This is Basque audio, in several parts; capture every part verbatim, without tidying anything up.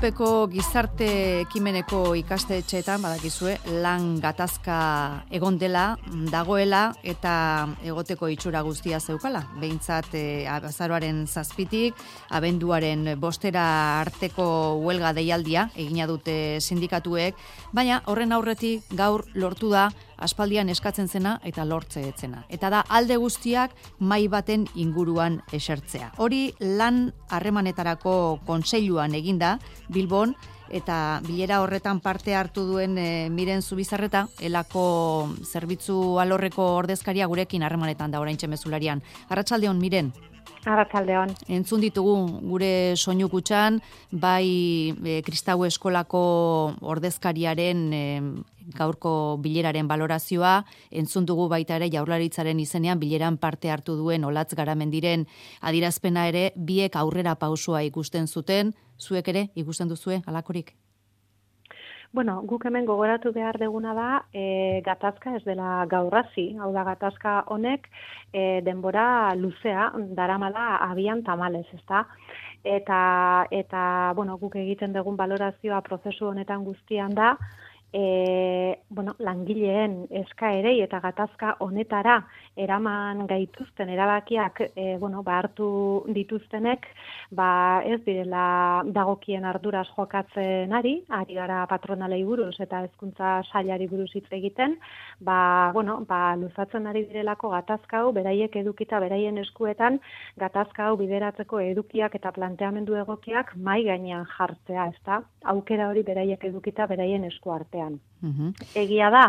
Ilunpeko gizarte ekimeneko ikastetxeetan badakizue lan gatazka egon dela, dagoela eta egoteko itxura guztia zeukala. Behintzat e, azaroaren zazpitik, abenduaren bostera arteko huelga deialdia egina dute sindikatuek, baina horren aurretik gaur lortu da aspaldian eskatzen zena eta lortze etzena. Eta da alde guztiak mahai baten inguruan esertzea. Hori lan harremanetarako kontseiluan eginda Bilbon, eta bilera horretan parte hartu duen e, Miren Zubizarreta, elako zerbitzu alorreko ordezkaria gurekin harremanetan da oraintxe mezularian. Arratsaldeon, Miren. Arratsaldeon. Entzun ditugu gure soinu kutxan, bai e, Kristau Eskolako ordezkariaren e, gaurko bileraren balorazioa, entzun dugu baita ere Jaurlaritzaren izenean bileran parte hartu duen Olatz Garamendiren adierazpena ere, biek aurrera pausua ikusten zuten, zuek ere ikusten duzue halakorik? Bueno, guk hemen gogoratu behar deguna da, e, gatazka ez dela gaur hasi, hau da gatazka honek e, denbora luzea daramala abian tamalez, ezta? Eta, eta bueno, guk egiten dugun balorazioa prozesu honetan guztian da, E, bueno, langileen eskaerei eta gatazka honetara eraman gaituzten erabakiak e, bueno, ba, hartu dituztenek, ba, ez direla dagokien arduraz jokatzen ari, ari gara patronalei buruz eta hezkuntza sailari buruz hitz egiten, ba, bueno, ba, luzatzen ari direlako gatazka hau, beraiek edukita beraien eskuetan, gatazka hau bideratzeko edukiak eta planteamendu egokiak mai gainean jartzea, ezta? Aukera hori beraiek edukita beraien esku artean. Uhum. Egia da,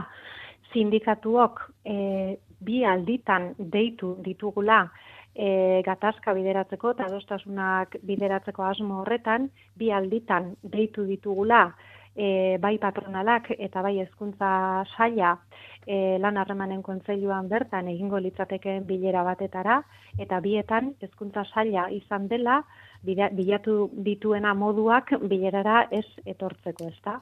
sindikatuok e, bi alditan deitu ditugula e, gatazka bideratzeko eta adostasunak bideratzeko asmo horretan, bi alditan deitu ditugula e, bai patronalak eta bai hezkuntza saila e, lan harremanen kontseiluan bertan egingo litzatekeen bilera batetara, eta bietan hezkuntza saila izan dela bilatu dituena moduak bilerara ez etortzeko, ezta?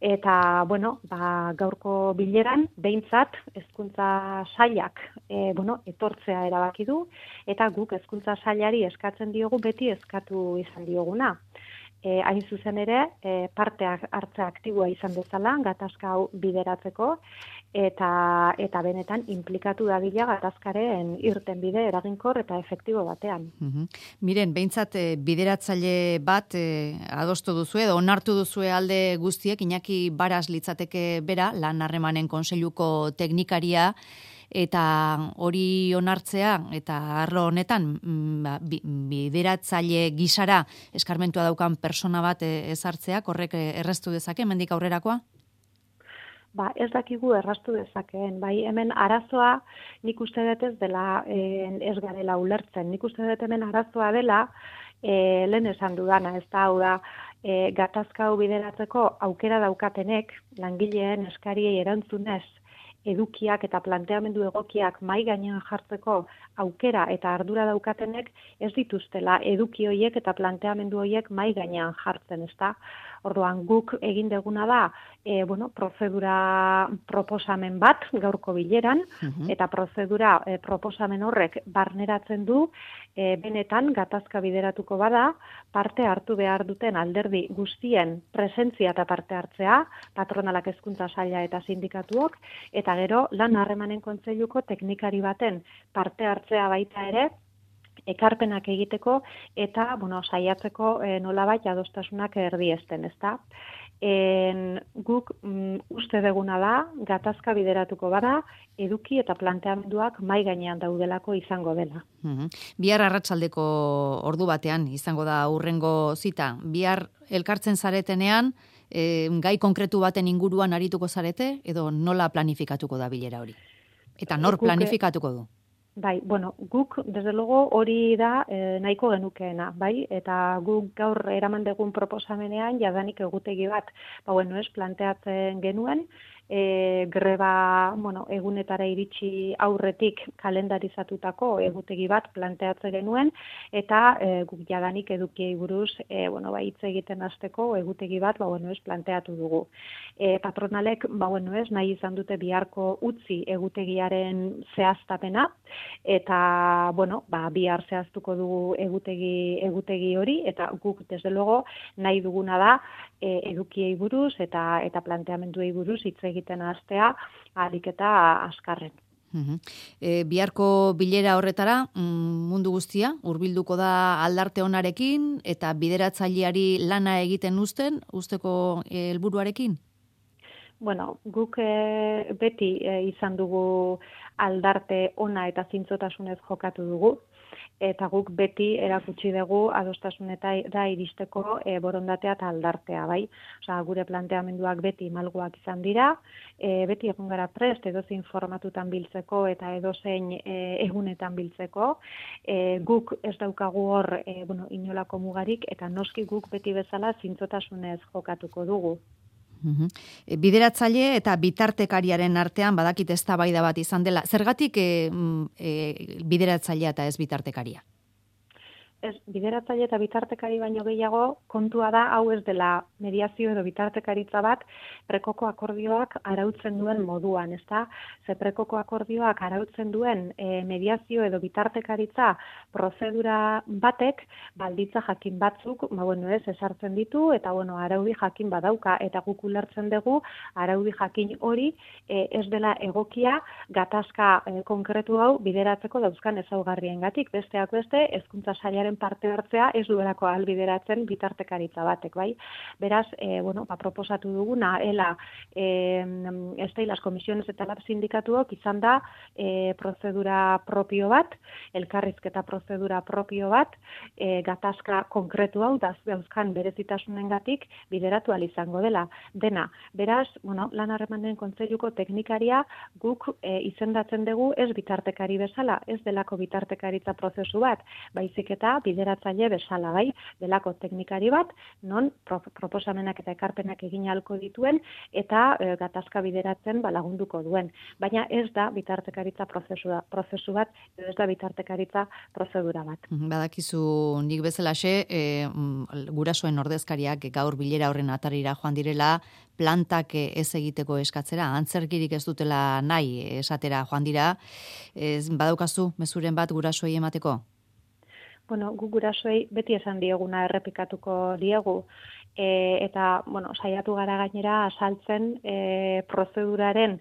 Eta, bueno, ba, gaurko bileran, behintzat, hezkuntza sailak e, bueno, etortzea erabaki du, eta guk hezkuntza sailari eskatzen diogu beti eskatu izan dioguna. E, hain zuzen ere, e, parte hartze aktiboa izan dezala, gatazka hau bideratzeko, eta, eta benetan implikatu dadila gatazkaren irten bide eraginkor eta efektibo batean. Uhum. Miren, behintzat e, bideratzaile bat e, adostu duzue, edo onartu duzue alde guztiek, Iñaki Baras litzateke bera, lan harremanen kontseiluko teknikaria, eta hori onartzea, eta arlo honetan ba, bideratzaile gisara eskarmentua daukan persona bat ezartzeak, horrek erraztu dezake, hemendik aurrerakoa? Ba, ez dakigu erraztu dezakeen, bai, hemen arazoa nik uste dut ez dela ez garela ulertzen, nik uste dut hemen arazoa dela e, lehen esan dudana, ez da, hau da, e, gatazka hau bideratzeko aukera daukatenek, langileen eskariei erantzunez, edukiak eta planteamendu egokiak mai gainean jartzeko aukera eta ardura daukatenek ez dituztela eduki hoiek eta planteamendu hoiek mai gainean jartzen, ezta? Orduan guk egin deguna da, e, bueno, prozedura proposamen bat gaurko bileran, uh-huh. eta prozedura e, proposamen horrek barneratzen du, e, benetan gatazka bideratuko bada, parte hartu behar duten alderdi guztien presentzia eta parte hartzea, patronalak hezkuntza saila eta sindikatuok, eta gero lan harremanen kontseiluko teknikari baten parte hartzea baita ere, ekarpenak egiteko eta, bueno, saiatzeko e, nolabait adostasunak erdiesten, ezta? En, guk mm, uste deguna da, gatazka bideratuko bada, eduki eta planteamenduak mai gainean daudelako izango dela. Uhum. Bihar arratsaldeko ordu batean izango da hurrengo zita. Bihar elkartzen zaretenean, e, gai konkretu baten inguruan arituko zarete, edo nola planifikatuko da bilera hori? Eta nor Guk, planifikatuko du? Bai, bueno, guk, desde luego, hori da e, nahiko genukeena, bai? Eta guk gaur eraman dugun proposamenean, jadanik egutegi bat, ba, bueno, ez, planteatzen genuen, e, greba, bueno, egunetara iritsi aurretik kalendarizatutako egutegi bat planteatzen genuen, eta e, guk jadanik edukiei buruz, e, bueno, ba, hitz egiten hasteko egutegi bat, ba, bueno, ez planteatu dugu. E, patronalek, ba, bueno, ez, nahi izan dute biharko utzi egutegiaren zehaztapena, eta, bueno, ba, bihar zehaztuko dugu egutegi, egutegi hori, eta guk, desde luego, nahi duguna da, e, edukiei buruz eta eta planteamenduei buruz hitz egiten hastea ahalik eta azkarren. Uhum. E, biharko bilera horretara mundu guztia hurbilduko da aldarte onarekin eta bideratzaileari lana egiten uzten, usteko helburuarekin? Bueno, guk e, beti e, izan dugu aldarte ona eta zintzotasunez jokatu dugu, eta guk beti erakutsi dugu adostasunetara iristeko e, borondatea eta aldartea, bai? Osea, gure planteamenduak beti malguak izan dira, e, beti egon gara prest edozein formatutan biltzeko eta edozein e, egunetan biltzeko. E, guk ez daukagu hor e, bueno, inolako mugarik, eta noski guk beti bezala zintzotasunez jokatuko dugu. Uhum. E, bideratzaile eta bitartekariaren artean badakit eztabaida bat izan dela. Zergatik e, e, bideratzailea eta ez bitartekaria? Ez, bideratzaile eta bitartekari baino gehiago kontua da hau ez dela mediazio edo bitartekaritza bat prekoko akordioak arautzen duen moduan, ezta? Ze prekoko akordioak arautzen duen e, mediazio edo bitartekaritza prozedura batek balditza jakin batzuk, ba bueno, ez ezartzen ditu eta bueno, araudi jakin badauka eta guk ulertzen dugu araudi jakin hori e, ez dela egokia gatazka e, konkretu hau bideratzeko dauzkan ezaugarriengatik, besteak beste hezkuntza sailaren parte hartzea ez duelako ahalbideratzen bitartekaritza batek, bai? Beraz, e, bueno, ba, proposatu duguna, ela, e, este, las comisiones eta lab sindikatuok izan da e, prozedura propio bat, elkarrizketa prozedura propio bat, e, gatazka konkretu hau, dauzkan berezitasunengatik bideratu ahal izango dela. Dena, beraz, bueno, lan harremanen kontseiluko teknikaria guk e, izendatzen dugu ez bitartekari bezala, ez delako bitartekaritza prozesu bat, baizik eta bideratzaile bezala, bai, delako teknikari bat, non pro, proposamenak eta ekarpenak egin ahalko dituen eta e, gatazka bideratzen ba, lagunduko duen. Baina ez da bitartekaritza prozesua, prozesu bat, ez da bitartekaritza prozedura bat. Badakizu nik bezalaxe, e, gurasoen ordezkariak gaur bilera horren atarira joan direla, plantak ez egiteko eskatzera, antzerkirik ez dutela nahi esatera joan dira, ez, badaukazu mezuren bat gurasoei emateko? Bueno, gu gurasoei beti esan dieguna errepikatuko diegu, e, eta, bueno, saiatu gara gainera azaltzen e, prozeduraren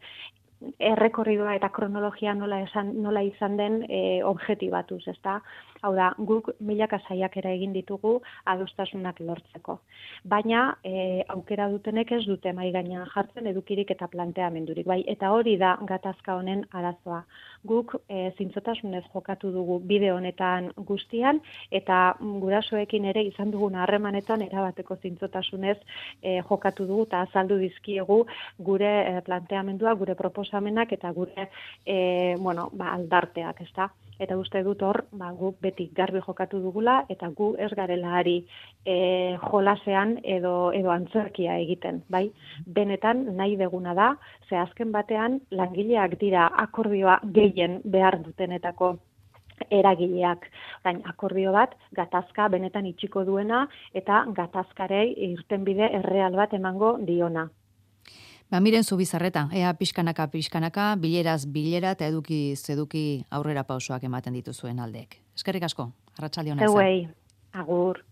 errekorridua eta kronologia nola, esan, nola izan den e, objetibatuz, ezta? Hau da, guk milaka saiakera egin ditugu adostasunak lortzeko. Baina e, aukera dutenek ez dute mai gainean jartzen edukirik eta planteamendurik, bai, eta hori da gatazka honen arazoa. Guk e, zintzotasunez jokatu dugu bide honetan guztian, eta gurasoekin ere izan dugun harremanetan erabateko zintzotasunez e, jokatu dugu eta azaldu dizkiegu gure e, planteamendua, gure proposamenak eta gure e, bueno, ba, aldarteak, ezta? Eta uste dut hor, ba, gu beti garbi jokatu dugula, eta gu ez garela ari e, jolasean edo, edo antzerkia egiten, bai? Benetan nahi deguna da, ze azken batean langileak dira akordioa gehien behar dutenetako eragileak. Orain, akordio bat, gatazka benetan itxiko duena, eta gatazkarei irtenbide erreal bat emango diona. Ba, miren zu bizarreta, ea pixkanaka pixkanaka, bileraz bilera eta eduki zeduki aurrera pausoak ematen dituzuen aldeek. Eskerrik asko, arratsalde ona izan. Zeuei, agur.